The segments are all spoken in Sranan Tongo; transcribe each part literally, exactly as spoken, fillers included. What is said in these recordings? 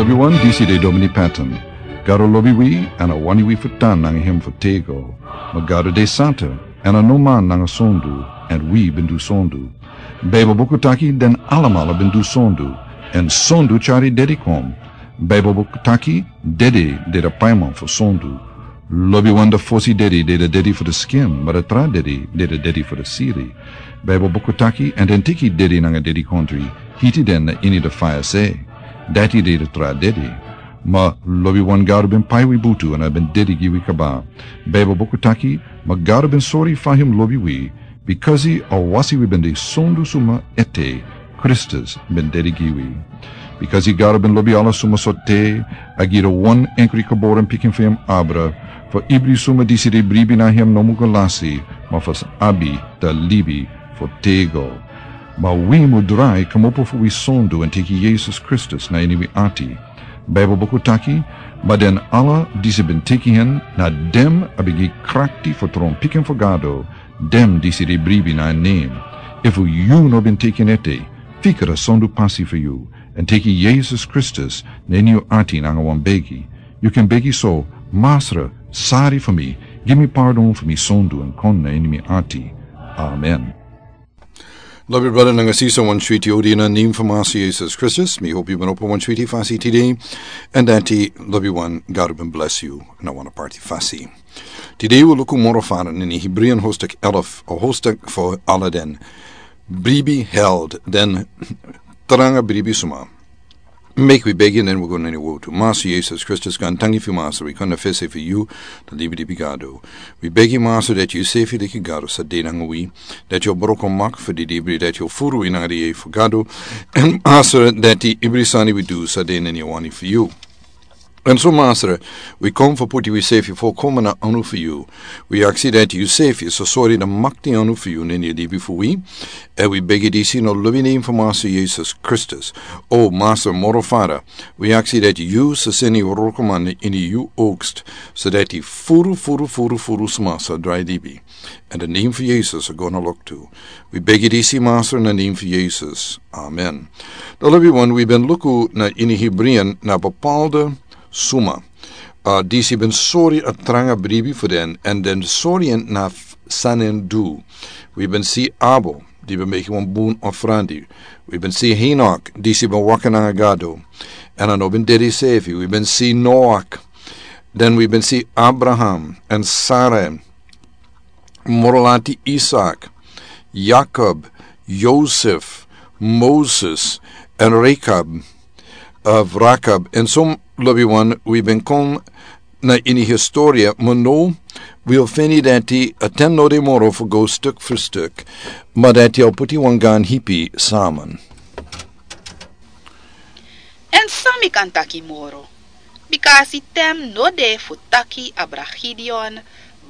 Wi wan disi de Domini Patton. Gado lobi wi, èn a wani wi fu tan nanga hem fu tego. Ma Gado de santa, èn a no man nanga sondu, èn wi ben du sondu. Baibel buku taki den alamala ben du sondu, èn sondu tyari dedi kon. Baibel buku taki dedi de de paiman fu sondu. Lobiwan de fosi dedi de de dedi fu de skin, ma de tra dedi de de dedi fu de siri. Baibel buku taki, èn den teki dedi nanga dedi kontri, hiti den na ini de faya se. Dati de de tra dedi. Ma lobiwan Gado ben pai wi butu èn a ben dedi gi wi kaba. Baibel buku taki, ma Gado ben sori fa hem lobi wi, bikasi a wasi wi ben de sondu suma ete, Kristus ben dedi gi wi. Bikasi Gado ben lobi ala suma so te, a gi de wan enkri geboren pikin fu hem abra, fu ibri suma disi de bribi na hem no mu go lasi, ma fu abi de libi fu tego. Ma wi mu drai kmopo fu wi sondu èn teki Yesus Kristus na ini wi ati. Baibel buku taki, ma den ala disi ben teki hen, na dem a ben gi krakti fu tron pikin fu Gado, dem disi de bribi na en nen. Efu yu no ben teki en ete, fika de sondu pasi fu yu, èn teki Yesus Kristus na ini yu ati nanga wan begi. Yu kan begi so, Masra, sari fu mi, gi mi pardon fu mi sondu èn kon na ini mi ati. Amen. Lobi brada nanga sisa, wan switi odi na nen fu Masra Yesus Kristus. Mi hopi yu ben opo wan switi fasi tide. Èn dati lobiwan, Gado ben bless yu na wan aparti fasi. Tide wi luku moro fara na ini Hebreeën hoofdstuk elf, a hoofdstuk fu ala den bribi held, den tranga bribi suma. Meki wi begi, den wi go na ini wotu. Masra Yesus Kristus, gaantangi fu yu Masra, wi kon na fesi fu yu, de libi libi Gado. Wi begi Masra dati yu sefi leki Gado sa de nanga wi, dati yu o broko mak fu di libri, dati yu o furu wi nanga di yeye fu Gado. Èn Masra dati ibri sani wi du sa de na ini wani fu yu. Èn so Masra, wi kon fu puti wi sefi fu kon na anu fu yu. Wi aksi dati yu sefi sa sori de makti anu fu yu na ini libi fu wi. Èn wi begi disi na lobi nen fu Masra Yesus Kristus. O Masra moro fara, wi aksi dati yu sa seni yu wroko man na ini yu oogst, so dati furu, furu, furu, furu suma sa drai libi. Èn de nen fu Yesus a go na loktu. Wi begi disi Masra na nen fu Yesus. Amen. Dan lobiwan, wi ben luku na ini Hebreeën na bepaalde suma. A, disi ben sori a tranga bribi fu den, èn den sori en na f-, san den du. Wi ben si Abel, di ben meki wan bun ofrandi. Wi ben si Henok, disi ben waka nanga Gado, èn a no ben dedi sefi. Wi ben si Noach, den wi ben si Abraham èn Sara, moro lati Isak, Jakob, Yosef, Moses, èn Rekab, of Rakab. Èn so lobiwan, wi ben kon na ini historia, ma now wi o feni dati a ten no de moro fu go stuk fu stuk, ma dati a o puti wan gaan hipi saman. Èn san mi kan taki moro? Bika a si ten no de fu taki abra Gideon,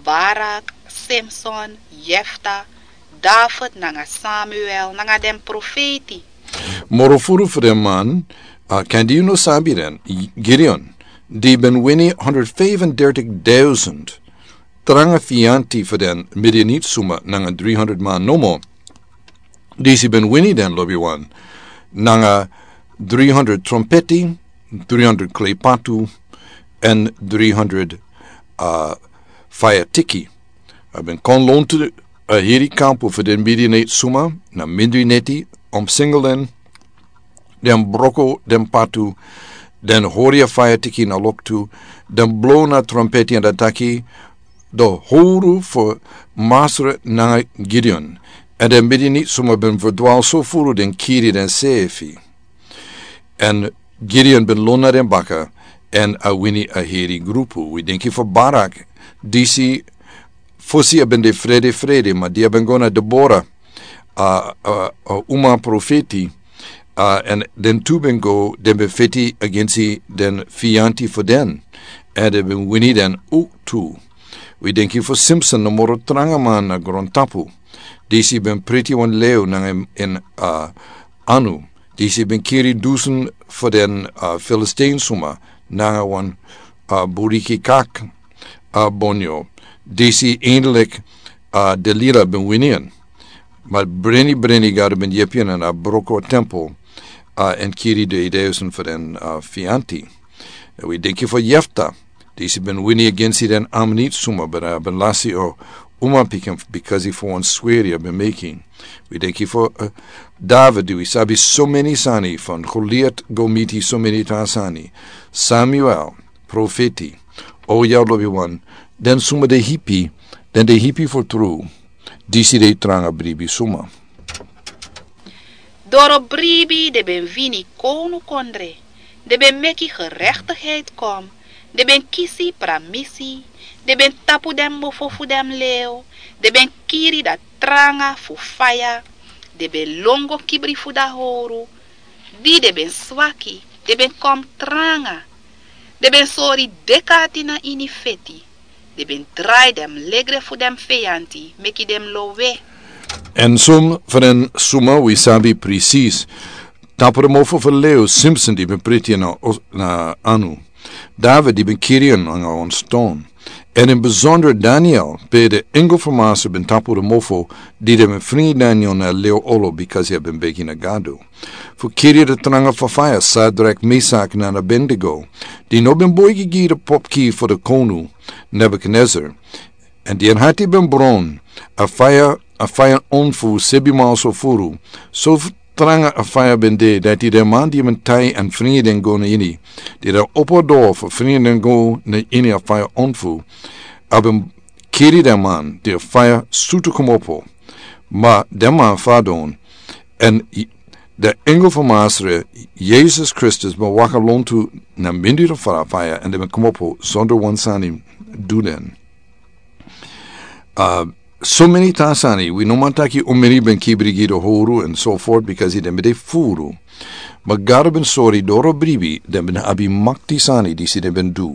Barak, Simson, Jefta, David nanga Samuel nanga den profeti. Moro furu fu den man, a, kan di yu no sabi den, Gideon, di ben wini honderd vijfendertig duizend tranga fianti fu den Midianit suma nanga dri honderd man nomo. Disi ben wini den lobiwan nanga dri honderd trompeti, dri honderd klepatu, èn dri honderd, a, faya tiki. A ben kon lontu a heri kampu fu den Midianit suma na mindri neti, omsingel den, den broko den patu, den hori a faya tiki na loktu, den blo na trompeti èn den taki, de howru fu Masra nanga Gideon. Èn den Midianit suma ben ferdwal so furu den kiri den sefi. Èn Gideon ben lon na den baka, èn a wini a heri grupu. Wi denki fu Barak, disi fosi a ben de frede frede, ma di a ben go na Debora, a, a, a uma profeti, a, èn den tu ben go, den ben feti agensi den fianti fu den, èn den ben wini den owktu. Wi denki fu Simson, na moro tranga man na grontapu. Disi ben priti wan lew nanga en, en, a, anu. Disi ben kiri dusun fu den, a, Filistijn suma nanga wan, a, buriki kak, a, bonyo. Disi eindelijk, a, Delila ben wini en. Ma breni, breni Gado ben yepi en, a broko tempel. Uh, en kiri de ideusen fu den, uh, fianti. Wi denki fu Jefta, disi ben wini agensi den Amonit suma, but, uh, ben lasi o uma pikin bikasi fu wan sweri a ben meki. Wi denki fu, uh, David, di wi sabi so meni sani fan Goliat go miti so meni tra sani. Samuel, profeti. O ya lobi wan, den suma de hipi, den de hipi fu tru. Disi de tranga bribi suma. Doro bribi de ben wini konu kondre, de ben meki gerechtigheid kom, de ben kisi pramisi, de ben tapu den mofo fu den leo, de ben kiri da tranga fu faya, de ben longo kibri fu da horu, di de ben swaki, de ben kom tranga, de ben sori dekati na ini feti, de ben drai den legre fu den feyanti, meki den lowe. En som fu den suma wi sabi presis. Tapu de mofo fu leo Simpson di ben priti na, na anu. David di ben kiri en nanga wan ston. En in besonder Daniel, pe de engel fu Masra ben tapu de mofo, di de ben fringi Daniel na leo olo bikasi a ben begi na Gado. Fu kiri de tranga fu faya Sadrak, Mesak nanga Abednego, di no ben boigi gi de popki fu de konu, Nebuchadnezzar. En di en hati ben bron, a faya, a faya onfu sebi maal so furu, so tranga a faya ben de, dati den man di ben tai en fringi den go na ini, di den opo doro fu fringi den go na ini a faya onfu, a ben kiri den man di a faya sutu komopo. Ma den man fadon, en i-, de engel fu Masra, Jesus Kristus, ben waka lontu na mindri fu a faya, en den ben komopo sonder wan sani du den. Uh, so meni tra sani, wi no man taki omeni ben kibri gi de horu and so forth, because den ben de furu. Ma Gado ben sori doro bribi, den ben abi makti sani disi den ben du.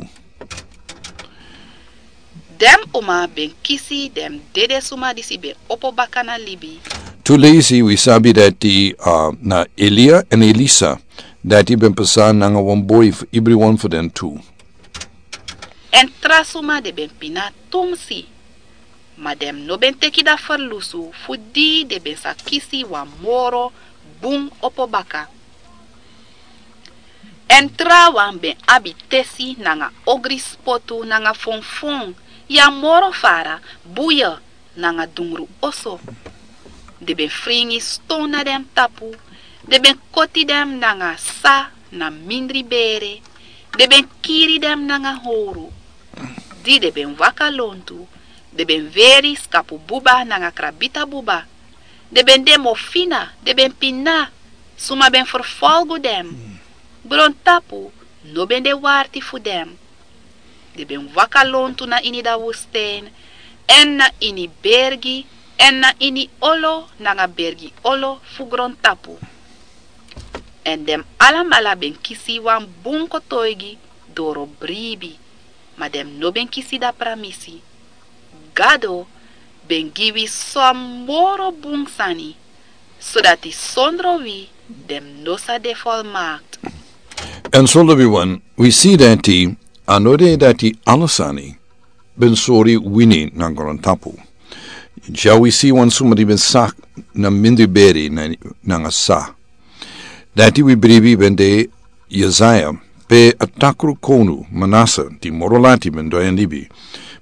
Den uma ben kisi den dede suma disi ben opo baka na libi. Tu leisi wi sabi dati, uh, na Elia en Elisa, dati ben pasa nanga wan boi fu ibri wan fu den tu. En tra suma de ben pina tumsi, ma den no ben teki da ferlusu fu di de ben sa kisi wan moro bun opo baka. En trawan ben abi tesi nanga ogri spotu nanga fonfon, ya moro fara, buye nanga dungru oso. Den ben fringi ston na den tapu, den ben koti den nanga sa na mindri bere, den ben kiri den nanga horu. Di den ben waka lontu, den ben weri skapu buba nanga krabita buba. Den ben de mofina, den ben pina, suma ben ferfolgu den. Grontapu no ben de warti fu den. Den ben waka lontu na ini da wustijn, en na ini bergi, en na ini olo nanga bergi olo fu grontapu. En den alamala ben kisi wan bun kotoigi doro bribi, ma den no ben kisi da pramisi. Gado ben gi wi son moro bun sani, sodati sondro wi den no sa de volmaakt. En so lobi wan, wi si dati, a no de dati ala sani ben sori wini na grontapu. Dya wi si wan suma di ben sak na mindri beri na, nanga sa. Dati wi bribi ben de Yesaya, pe a takru konu Manasa, di moro lati ben drai en libi,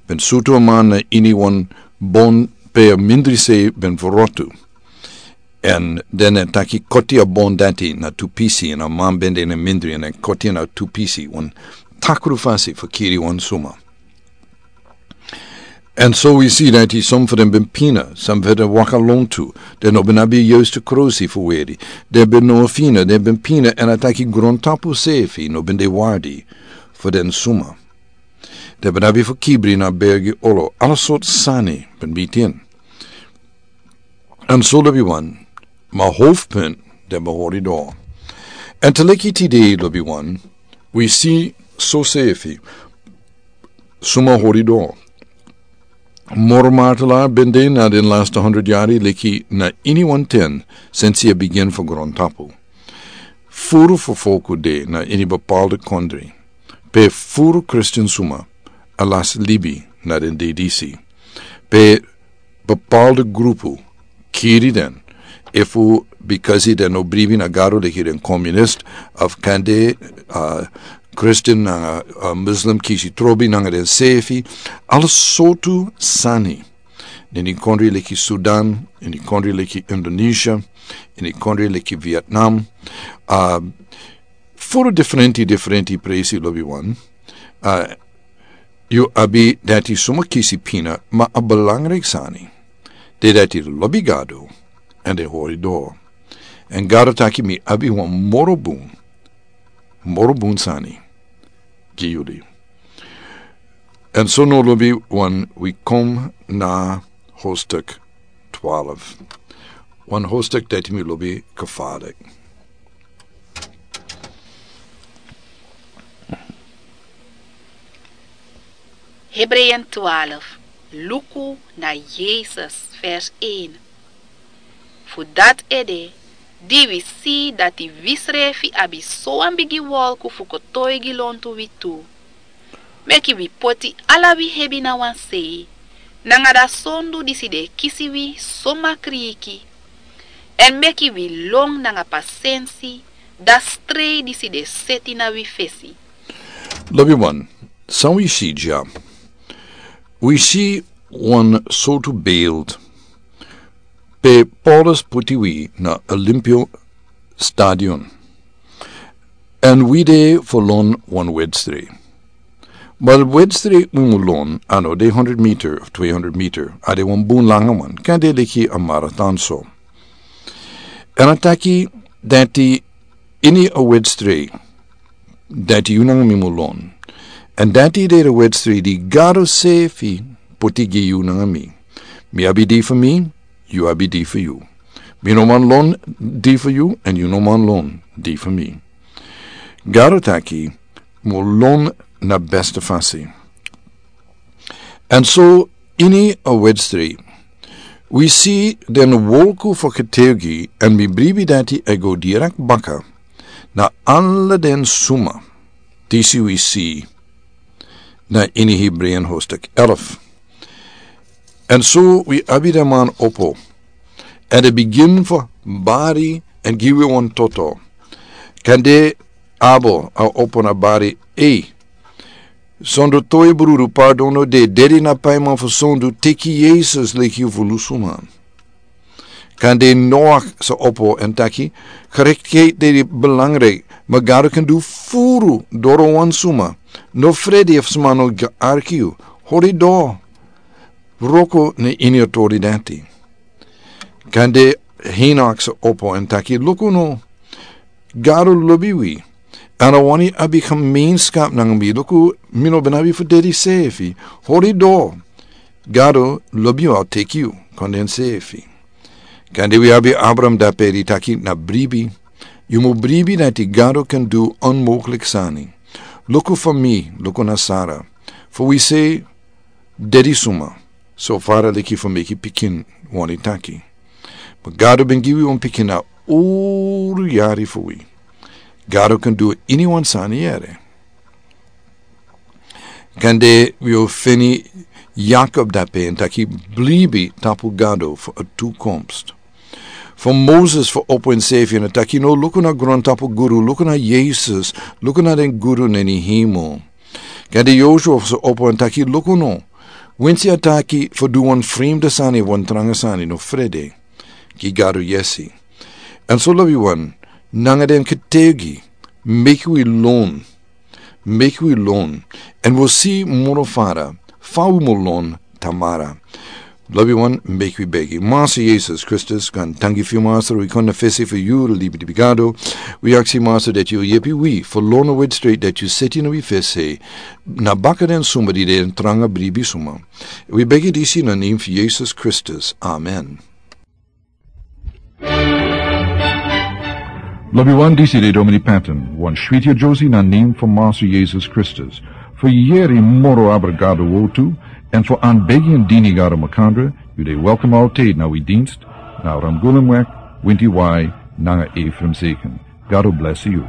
ben sutu a man na ini wan bon pe a mindri sei ben frotu. En den e taki koti a bon dati na tu pisi, en a man ben de na mindri, en e koti na tu pisi, wan takru fasi fu kiri wan suma. En so wi si dati son fu den ben pina, son fu den waka lontu, den no ben abi yustu krosi fu weri, den ben no fina, den ben pina, en a taki grontapu sefi no ben de wardi fu den suma. Den ben abi fu kibri na bergi olo, ala sort sani ben bitin. En so lobi wan, ma hofpin den ben hori doro. En te leki tide lobi wan, wi si so sefi suma hori doro. Moro martelaar ben de na den laste honderd yari leki na ini wan ten sensi a bigin fu grontapu. Furu fu folku de na ini bepaalde kondri, pe furu Kristin suma a lasi libi na den dei disi, pe bepaalde grupu kiri den, Efu bikasi den no bribi na Gado leki den komunist, of kande, uh, Christian nanga, uh, Muslim kisi trobi nanga den sefi, ala sortu sani. Ini kondre leki Sudan, ini kondre leki Indonesia, ini kondre leki Vietnam, uh, furu diferenti, diferenti presi lobi wan. Uh, yu abi dati suma kisi pina, ma a belangrijk sani. De dati lobi Gado, en de hori door. En Gado taki mi abi wan moro bun, moro bun sani. Gi yuli. En so no lobi wan wi kom na hoofdstuk twaalf. Wan hoofdstuk dati mi lobi gevaarlijk. Hebreeën twaalf, luku na Yesus, vers één. Fu dat ede, di wi si dati wi srefi abi so wan bigi wolku fu kotoigi lontu wi tu. Meki wi poti ala wi hebi na wan sei, nanga da sondu disi de kisi wi so makriki. En meki wi lon nanga pasensi, da strei disi de seti na wi fesi. Lobi wan, san wi si dya? Wi si wan sortu beeld pe Paulus puti wi na Olympio Stadion. En wi de fu lon wan wedstrijd. Ma wedstrijd wi mu lon, a no de honderd meter of tweehonderd meter, a de wan bun langa wan, kan de leki a marathon so. En a taki dati ini a wedstrijd dati yu nanga mi mu lon. En dati de a wedstrijd di Gado sefi puti gi yu nanga mi. Mi abi di fu mi, yu abi di fu yu. Mi no man lon di fu yu, en yu no man lon di fu mi. Gado taki, mu lon na beste fasi. En so ini a wedstrijd, wi si den wolku fu getuigi, en mi bribi dati e go direct baka na ala den suma disi wi si na ini Hebreeën hoofdstuk elf. En so wi abi den man opo, en den bigin fu bari en gi wi wan toto. Kande Abel a opo na bari, ei, sondu toi brudu pardon no de, dedi na paiman fu sondu teki Yesus leki yu fu lusuman. Kande Noach sa opo en taki, gerechtigheid de belangrijk, ma Gado kan du furu doro wan suma. No frede efu suma no ga arki yu. Hori do. Wroko na ini autoriteit. Kande Henoch sa opo en taki, luku no, Gado lobi wi. En a wani abi gemeenschap nanga mi. Luku, mi no ben abi fu dedi sefi. Hori do. Gado lobi yu, a o teki yu kon den sefi. Kande wi abi Abraham dape di taki na bribi. Yu mu bribi dati Gado kan du onmogelijk sani. Luku fu mi, luku na Sara. Fu wi sei, dedi suma, so fara leki fu meki pikin wani taki. Ma Gado ben gi wi wan pikin na uru yari fu wi. Gado kan du ini wan sani yere. Kande wi o feni Jakob dape en taki bribi tapu Gado fu a toekomst. Fu Moses fu opo en sefi en taki no luku na grontapu guru, luku na Yesus, luku na den guru na ini hemel. Kande Joshua sa opo en taki luku no. Winsi a taki fu du wan fremde sani, wan tranga sani, no frede. Gi Gado yesi. En so lobi wan, nanga den ketegi, meki wi lon. Meki wi lon. En wi o si moro fara, fa wi mu lon tamara. Lobi wan, meki wi begi. Master Yesus Kristus, kan tangi fu yu, Master, wi kon na fesi fu yu, libi di Gado. Wi aksi, Master, dati yu yepi wi fu lon a wedstrijd dati yu seti na wi fesi, na baka den suma di de en tranga bribi suma. Wi begi disi na nen fu Yesus Kristus. Amen. Lobi wan, disi de Domini Patton, wan switi a Josie na nen fu Master Yesus Kristus. Fu yeri moro abra Gado wortu, en fu an begi en dini Gado makandra, yu de welkom altijd na wi dienst, na Ramgulumweg, winti wai, nanga Ephraim Zeken. Gado bless yu.